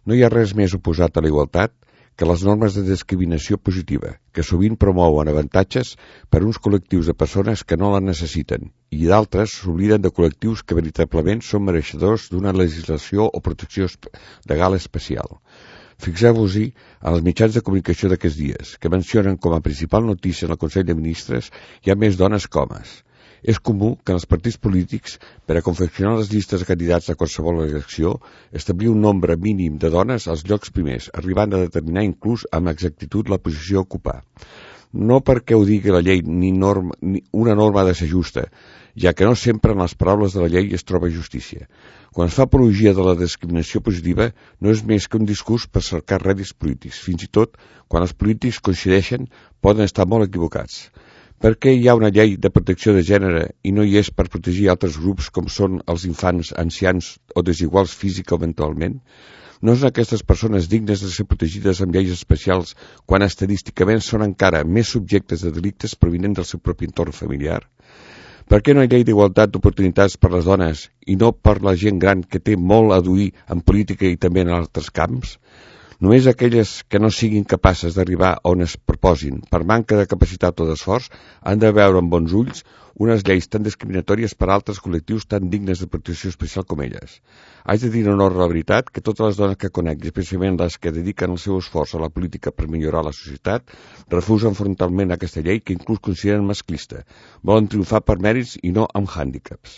No hi ha res més oposat a la igualtat que les normes de discriminació positiva, que sovint promouen avantatges per a uns col·lectius de persones que no la necessiten i d'altres s'obliden de col·lectius que veritablement són mereixedors d'una legislació o protecció legal especial. Fixeu-vos-hi en els mitjans de comunicació d'aquests dies, que mencionen com a principal notícia en el Consell de Ministres hi ha més dones que homes. És comú que en els partits polítics, per a confeccionar les llistes de candidats a qualsevol elecció, establir un nombre mínim de dones als llocs primers, arribant a determinar inclús amb exactitud la posició a ocupar. No perquè ho digui la llei ni una norma ha de ser justa, ja que no sempre en les paraules de la llei es troba justícia. Quan es fa apologia de la discriminació positiva, no és més que un discurs per cercar rèdits polítics. Fins i tot, quan els polítics coincideixen, poden estar molt equivocats. Per què hi ha una llei de protecció de gènere i no hi és per protegir altres grups com són els infants, ancians o desiguals físic o mentalment? No són aquestes persones dignes de ser protegides amb lleis especials quan estadísticament són encara més subjectes de delictes provinents del seu propi entorn familiar? Per què no hi ha llei d'igualtat d'oportunitats per les dones i no per la gent gran que té molt a duir en política i també en altres camps? Només aquelles que no siguin capaces d'arribar on es proposin per manca de capacitat o d'esforç han de veure amb bons ulls unes lleis tan discriminatòries per a altres col·lectius tan dignes de protecció especial com elles. Haig de dir en honor a la veritat que totes les dones que conec, especialment les que dediquen el seu esforç a la política per millorar la societat, refusen frontalment aquesta llei que inclús consideren masclista. Volen triomfar per mèrits i no amb hàndicaps.